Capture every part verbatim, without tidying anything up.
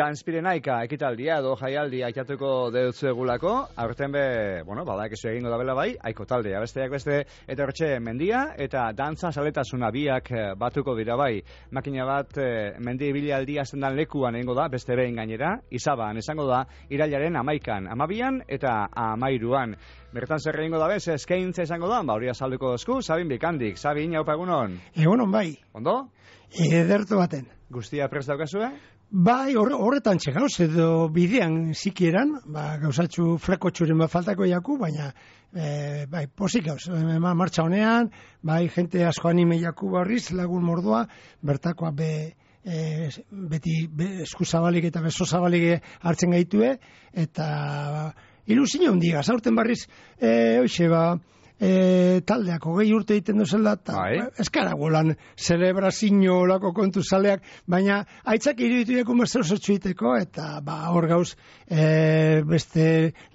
Dance Pirenaika ekitaldia edo jaialdia aitatuko deutzuegulako, aurten be, bueno, badak ez egingo dabela bai, aiko taldea, besteak beste, eta hortxe mendia, eta dantza saletasuna biak batuko dira bai. Makina bat, mendi ibilaldia zendan lekuan egingo da, beste behin gainera, izaban, esango da, irailaren amaikan, amabian eta amairuan. Bertan zer egingo da bez, eskaintza izango da, ba hori azalduko dozku, Sabin Bikandik. Sabin, haupa egunon? Egunon bai. Ondo? Ederto baten. Guztia prest daukazue? Bai, horretan txegauz, edo bidean zikieran, ba, gauzatxu frekotxuren bat faltako jaku, baina, e, bai, posik gauz, e, martxa honean, bai, jente asko anime jaku barriz, lagun mordua, bertakoa be, e, beti be, eskuzabalik eta bezozabalik hartzen gaitue, eta ilusio hundiga, zaurten barriz, e, hoxe, ba, E, taldeak hogei urte egiten duzela eta eskara golan celebrazio olako kontu zaleak, baina aitzak iruditu deko merzer zertxuiteko eta ba hor gauz e, beste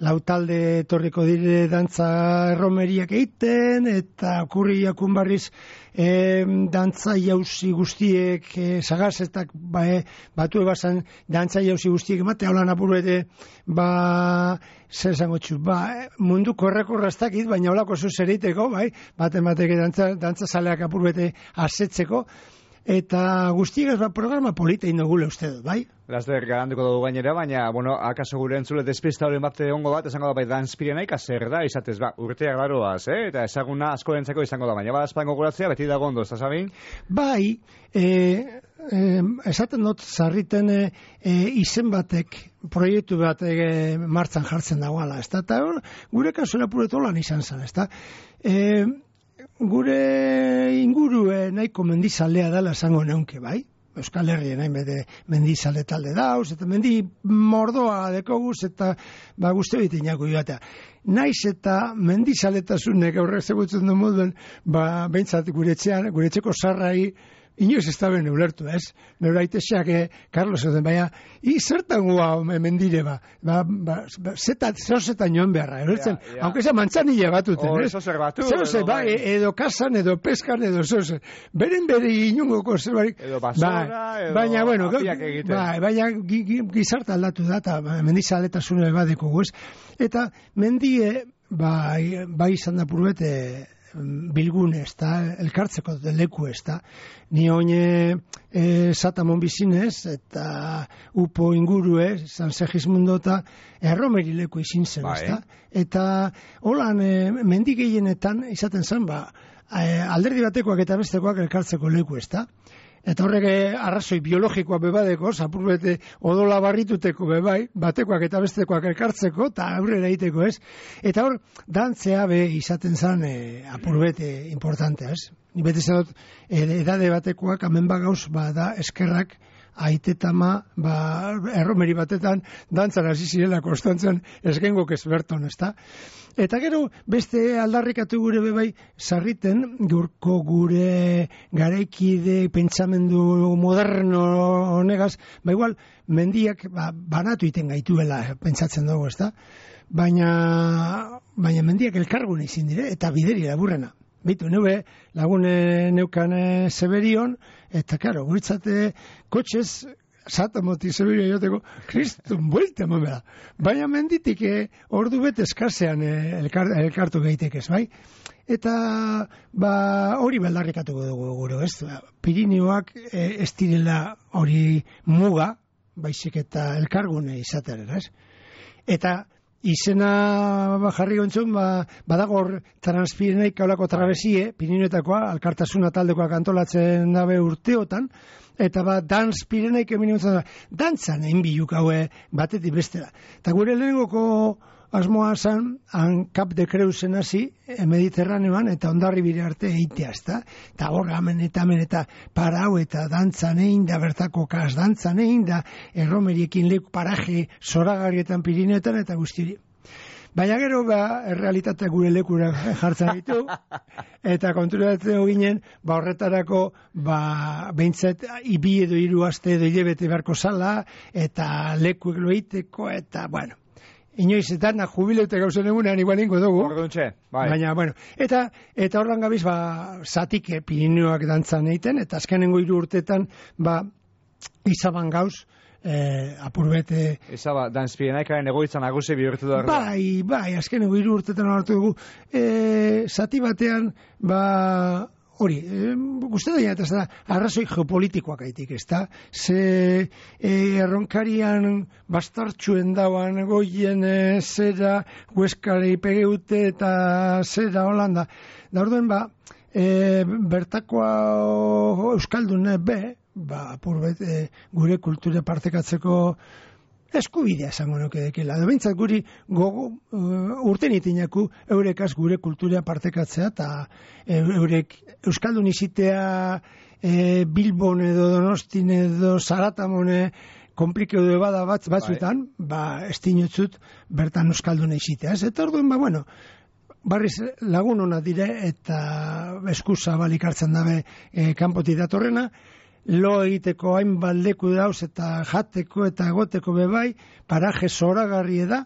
lau talde etorriko dire dantza erromeriak egiten eta okurri jakun barriz e, dantza jauzi guztiek e, sagazetak ba, e, batu ebazan dantza jauzi guztiek emate haulan apuru ere ba zer zango txu, ba, munduko errekorraztakit, baina holako zuz ereiteko, bai, bat emateke dantza, dantza zaleak apurbete asetzeko, eta guztiak ba, programa polita indogule uste dut, bai? Laster garantuko dugu gainera, baina, bueno, akaso gure entzule despista hori bat ongo bat, esango da bai Dance Pirenaika zer da, izatez, ba, urteak daroaz, eh? Eta ezaguna asko dentzako izango da, baina, ba, espango guratzea, beti dago ondo, ez da, Sabin? Bai, e, e, esaten dut, zarriten e, izen batek, proiektu bat e, martzan jartzen dagoela, ez da, eta gure kasura puretu lan izan zen, ez da, e, gure ingurue nahiko mendizalea dela esango neunke, bai? Euskal Herrien hain bete mendizale talde dauz, eta mendi mordoa dekoguz, eta ba guzti hori tinako joatea. Naiz eta mendizaletasunek aurrek zebutzen du moduen, ba behintzat gure etxean, gure etxeko sarrai, inoiz ez da ben ulertu, ez? Nero aiteseak, eh, Carlos, edo, baina, i zertan gua mendire, ba, ba, ba, zetat, zerozetan joan beharra, erotzen, ja, ja. Aunque eza mantzanilla batuten, oh, ez? Eso zer batu, zeroze, edo, ba, bai. Edo kasan, edo peskan, edo zeroze, beren bere inungoko zerbarik, edo basora, ba, edo baina, bueno, apiak egiten. Ba, baina gizarta aldatu da, eta mendizaletasune badeko guz, eta mendie, ba, bai izan da purbete, bilgune, ez da, elkartzeko leku, ez da. Ni oine e, satamon bizinez, eta upo ingurue, San Segismundo eta erromeri leku izin zen, ez da. Eta holan, e, mendik gehienetan, izaten zen, ba, e, alderdi batekoak eta bestekoak elkartzeko leku, ez da. Eta horrek arrazoi biologikoa bebadeko, zapurbete odola barrituteko bebai, batekoak eta bestekoak elkartzeko, eta aurrera egiteko, ez? Eta hor, dantzea be izaten zen e, apurbete importantea, ez? Ni bete zenot, edade batekoak, hemen bagauz, ba, da, eskerrak, aitetama, ba, erromeri batetan, dantzan hasi zirela konstantzen esgengok ez berton, ez da? Eta gero, beste aldarrikatu gure bebai, sarriten, gurko gure garaikide pentsamendu moderno honegaz, ba igual, mendiak ba, banatu iten gaituela, pentsatzen dugu, ez da? Baina, baina mendiak elkargune izin dire, eta bideri laburrena. Bitu, nube lagune neukane Zeberion, eta, karo, guritzate kotxez, satamoti Zeberio joteko, kristun buelte momela. Baina menditik eh, ordu bete eskasean eh, elkar, elkartu gaitekez, bai? Eta, ba, hori beldarrikatuko dugu gure, ez? Pirinioak eh, ez direla hori muga, baizik eta elkargune izaten, ez? Eta, izena ba, jarri gontzun, ba, badagor Transpirenaik kaulako trabesie, Pirinioetakoa, alkartasuna taldekoak antolatzen dabe urteotan, eta ba, Dance Pirenaik emini gontzun, dantzan egin biluk haue batetik bestera. Eta gure lehenengoko asmoa zan, han Cap de Creusen hasi, Mediterraneoan, eta ondarri bire arte eitea, ezta? Eta hor, amen eta amen eta parau eta dantzan egin da, bertako kas dantzan egin da, erromeriekin leku paraje zoragarrietan Pirineoetan eta guztiri. Baina gero, ba, errealitatea gure lekura jartzen ditu, eta konturatzen ginen, ba, horretarako, ba, behintzat, ibi edo hiru aste edo hilebete beharko zala, eta lekuek loiteko, eta, bueno, inoiz eta na jubileute gauzen egunean igual ingo dugu. Orduntxe, bai. Baina, bueno, eta eta horran gabiz, ba, zatik Pirinioak dantzan egiten, eta azkenengo hiru urtetan, ba, izaban gauz, eh, apurbete... Eza ba, danzpienaikaren egoitza nagusi bihurtu da. Bai, bai, azken egu hiru urtetan hartu dugu. E, zati batean, ba, hori, e, guzti da, eta da, arrazoi geopolitikoak aitik, ez da? Ze e, erronkarian bastartxuen dauan goien e, zera, hueskare ipegeute eta zera Holanda. Da orduen, ba, e, bertakoa euskaldun be, ba, apurbet, e, gure kultura partekatzeko eskubidea esango nuke dekela. Da bintzat guri gogo, uh, urten itinaku eurekaz gure kultura partekatzea eta e, eurek euskaldun izitea e, Bilbon edo Donostin edo Zaratamone komplikeu de bada bat, batzuetan, bai. Ba, estinotzut bertan euskaldun izitea. Ez? Eta orduen, ba, bueno, barriz lagun hona dire eta eskusa balik hartzen dabe e, kanpoti datorrena, lo egiteko hainbat leku dauz eta jateko eta egoteko bebai, paraje zoragarri da,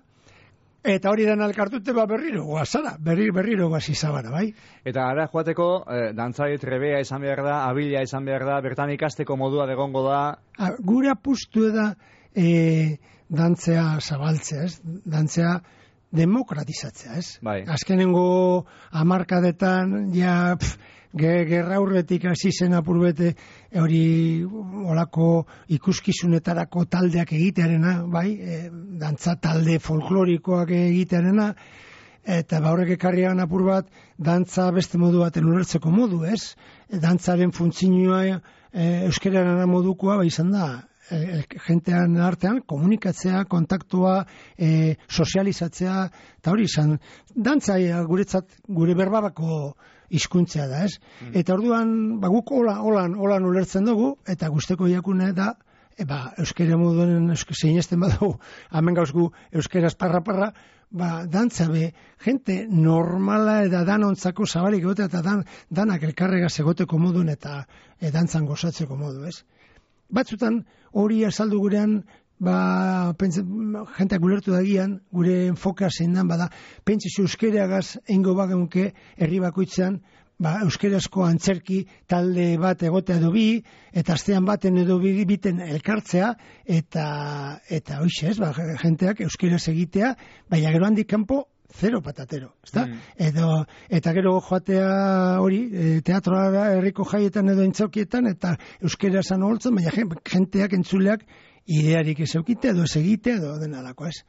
eta hori den alkartute ba berriro guazara, berriro, berriro guazizabara, bai? Eta ara joateko, eh, dantzari trebea izan behar da, abila izan behar da, bertan ikasteko modua degongo da? A, gure apustu da e, dantzea zabaltzea, ez? Dantzea demokratizatzea, ez? Bai. Azkenengo hamarkadetan, ja, pff, gerra urretik hasi zen apurbete hori olako ikuskizunetarako taldeak egitearena, bai, e, dantza talde folklorikoak egitearena, eta ba horrek ekarrian apur bat, dantza beste modu baten ulertzeko modu, ez? Dantzaren funtzioa e, euskeraren modukoa, ba izan da, e, jentean artean komunikatzea, kontaktua, e, sozializatzea, eta hori izan, dantza e, guretzat, gure berbabako hizkuntzea da, ez? Mm. Eta orduan, ba, guk hola, holan, holan ulertzen dugu, eta guzteko jakune da, e, ba, euskera moduen zeinesten badago, hemen gauzgu euskeraz parra-parra, ba, dantza be, jente normala eta danontzako zabalik egotea, eta dan, danak elkarregaz egoteko modun, eta e, dantzan gozatzeko modu, ez? Batzutan, hori azaldu gurean, ba, pentsa, jenteak ulertu dagian, gure enfokea zein dan, bada, pentsizu euskereagaz eingo bageunke herri bakoitzean, ba, euskerazko antzerki talde bat egotea edo bi, eta astean baten edo bi, biten elkartzea, eta, eta hoxe ez, ba, jenteak euskeraz egitea, baina gero handik kanpo, zero patatero, ezta? Mm. Edo, eta gero joatea hori, e, teatroa herriko jaietan edo entzokietan, eta euskerasan holtzen, baina jenteak entzuleak idearik ez eukite, edo ez egite, edo denalako, ez?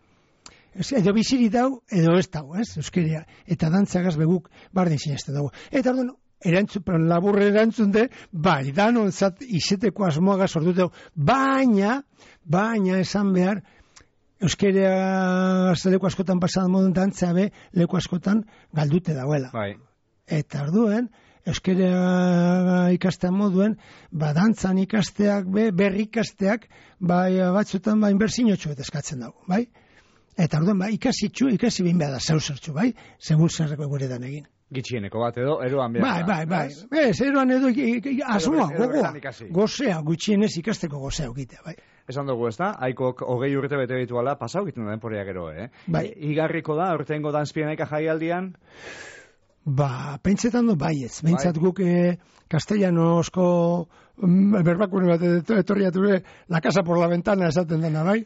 Edo biziri dau, edo ez dau, ez? Euskeria. Eta dantzagaz beguk bardin sineste dago. Eta orduan, erantzun, laburre erantzun de, bai, danon zat izeteko asmoagaz orduteu, baina, baina esan behar, euskeria leku askotan pasadan modun dantzea be, leku askotan galdute dagoela. Bai. Eta orduen, euskera ikastean moduen, ba, dantzan ikasteak, be, berri ikasteak, bai, batzutan, ba, inbertsinotxu eta eskatzen dago, bai? Eta orduan, ba, ikasitxu, ikasi behin behar da zauzertxu, bai? Segun zerreko guredan egin. Gitxieneko bat edo, eroan behar. Bai, bai, bai. Ez, eroan edo, asmoa, gogoa, gozea, gutxienez ikasteko gozea okitea, bai. Esan dugu, ez da? Aikok hogei urte bete dituala, pasau egiten da denporea gero, eh? Bai. Igarriko da, urtengo danzpienaika jaialdian? Ba, pentsetan du baietz. Bentsat guk eh, castellanosko mm, berbakune bat etorriature la casa por la ventana esaten dena, bai?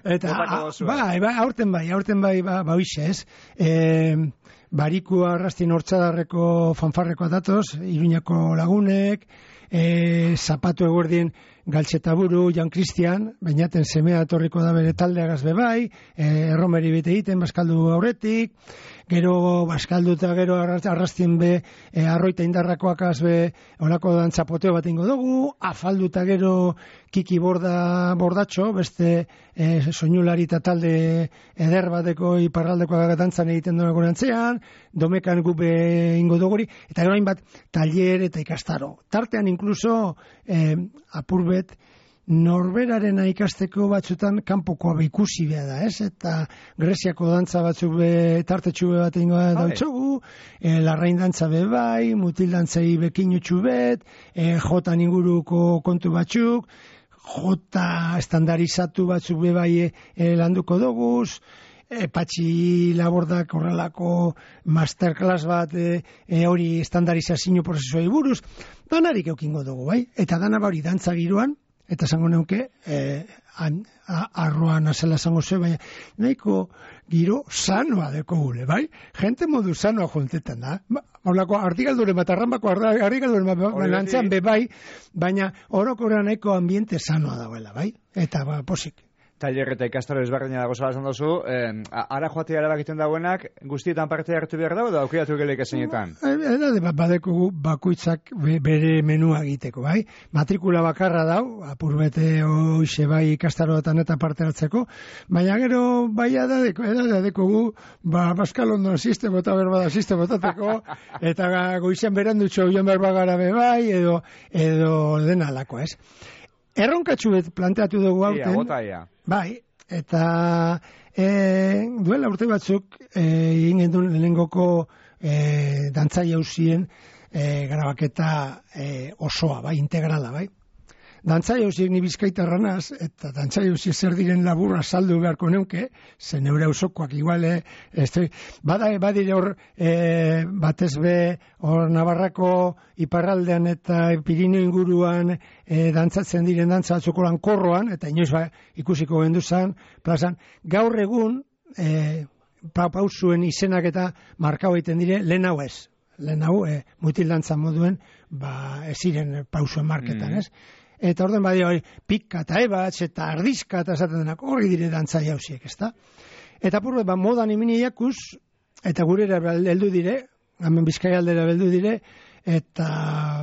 Eta, a, bai, bai, aurten bai, aurten bai, ba, ba hoixe, ez? Eh, Barikua arrastin hortzadarreko fanfarrekoa datoz, Iruñako lagunek, e, zapatu eguerdien Galtzetaburu, Jan Christian, bainaten semea etorriko da bere taldeagaz bebai, e, erromeri bete egiten, baskaldu aurretik, gero baskaldu eta gero arrastin be, e, arroita indarrakoakaz be, olako dantzapoteo bat ingo dugu, afaldu eta gero kiki borda, bordatxo, beste e, soinulari eta talde eder bateko iparraldekoak dantzan egiten duen gorantzean, domekan gube ingo duguri, eta gero hainbat taller eta ikastaro. Tartean inkluso e, apurbet norberarena ikasteko batzutan kanpokoa be ikusi behar da, ez? Eta Greziako dantza batzuk be tartetxu be bat ingo dautxogu, e, larrain dantza be bai, mutil dantzai bekinutxu bet, e, jotan inguruko kontu batzuk, jota estandarizatu batzuk be bai e, landuko doguz, E, Patxi Labordak horrelako masterclass bat e, e, hori estandarizazio prozesuai buruz, danarik eukingo dugu, bai? Eta dana hori dantza giroan, eta esango neuke, eh, arroan azela esango ze, baina nahiko giro sanoa deko gule, bai? Gente modu sanoa juntetan da. Horlako, artigalduren bat, arrambako artigalduren bat, lantzean be bai, baina orokorra nahiko ambiente sanoa dagoela, bai? Eta ba, posik. Taller eta ikastaro ezberdina dago zala esan duzu, eh, ara joatea erabakiten dagoenak, guztietan parte hartu behar dago, da aukiratu geleik ezinetan? Eta badeko bakoitzak bere menua egiteko, bai? Matrikula bakarra dau, apurbete hoxe bai ikastaroetan eta parte hartzeko, baina gero bai edadeko, edadeko gu, ba, Pascal Ondon sistema eta berbada sistema tateko, eta goizen berandutxo joan berbagara be bai, edo, edo dena alako, ez? Erronkatxu bet planteatu dugu hauten. Ia, bota, ia. Bai, eta e, duela urte batzuk egin e, gendun lehengoko e, dantzai hausien e, grabaketa e, osoa, bai, integrala, bai. Dantzai hausiek ni Bizkaitarra naz, eta dantzai hausiek zer diren laburra saldu beharko neuke, ze neure ausokoak iguale, este, bada, badire hor e, batez be, hor Navarrako iparraldean eta Pirineo inguruan e, dantzatzen diren dantza batzukolan korroan, eta inoiz ba, ikusiko genduzan, plazan, gaur egun, e, pa, pausuen izenak eta markau egiten dire, lehen hau ez. Lehen hau, e, mutil dantza moduen, ba, ez ziren pausuen marketan, mm. ez? Eta orden badia hori, pika eta ebatz eta ardizka eta esaten denak horri dire dantzai hausiek, ezta? Eta purre, ba, modan imini jakuz, eta gurera heldu dire, hemen Bizkaia aldera heldu dire, eta,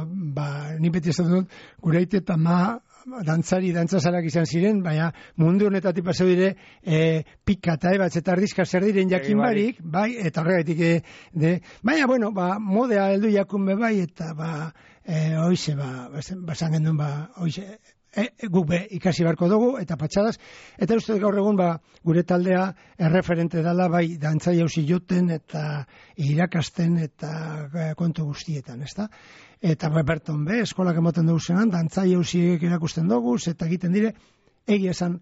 ba, ni beti esaten dut, gure aite eta ma, dantzari, dantzazarak izan ziren, baina mundu honetatik pasau dire, e, pika eta ebatz eta ardizka zer diren jakin barik, bai, eta horregaitik, e, de, baina, bueno, ba, modea heldu jakun be bai, eta, ba, E, oize, ba, basan gendun, ba, oize, e, e, guk be ikasi beharko dugu, eta patxadas, eta uste gaur egun, ba, gure taldea erreferente dala, bai, dantzai hausi joten, eta irakasten, eta e, kontu guztietan, ezta? Eta ba, berton be, eskolak emoten dugu zenan, dantzai hausiek erakusten dugu, eta egiten dire, egia esan,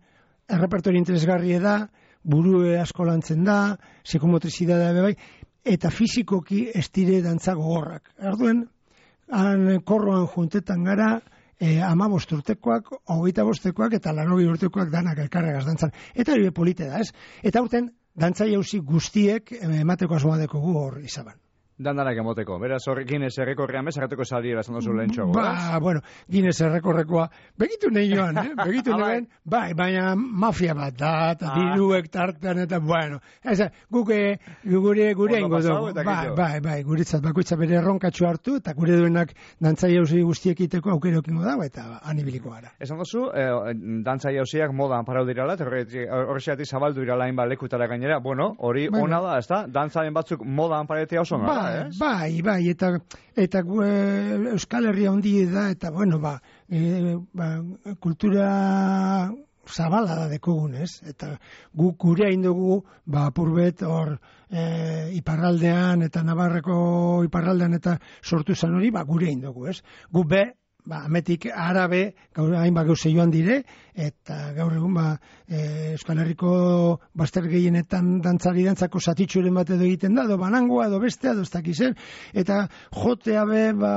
errepertori interesgarri da, burue asko lantzen da, psikomotrizidadea be bai, eta fizikoki ez dire dantza gogorrak. Erduen, han korroan juntetan gara, e, ama bosturtekoak, hogeita bostekoak, eta larogi urtekoak danak elkarregaz dantzan. Eta hori polite da, ez? Eta urten, dantzai hausi guztiek emateko asmoa dekogu hor izaban. Dandanak emoteko. Beraz, hor Guinness errekorrean bezarreteko sali erazan dozu lehen txogo. Ba, bueno, Guinness errekorrekoa, begitu nahi joan, eh? Begitu nahi bai, baina mafia bat da, eta diruek tartan, eta bueno, ez, guke, gure, gure ingo dugu, bai, bai, bai, guretzat bakoitza bere erronkatxo hartu, eta gure duenak dantzai hausi guztiek iteko aukerokingo dago, eta anibiliko gara. Esan dozu, eh, dantzai hausiak modan parau dirala, horreziatik zabaldu dirala hainbat lekutara gainera, bueno, hori bueno, ona da, ez da? Dantzaren batzuk modan paretea oso gara. Bai, bai, eta eta e, Euskal Herria handi da, eta bueno, ba, e, ba kultura zabala da dekogun, ez? Eta guk gure hain dugu, ba, apurbet hor e, iparraldean, eta Navarreko iparraldean, eta sortu zan hori, ba, gure hain dugu, ez? Gu be, ba, ametik arabe, gaur hainbat gauze joan dire, eta gaur egun, ba, e, Euskal Herriko bazter gehienetan dantzari dantzako satitxuren bat edo egiten da, edo banangoa, edo bestea, edo ez dakizen, eta jotea be, ba,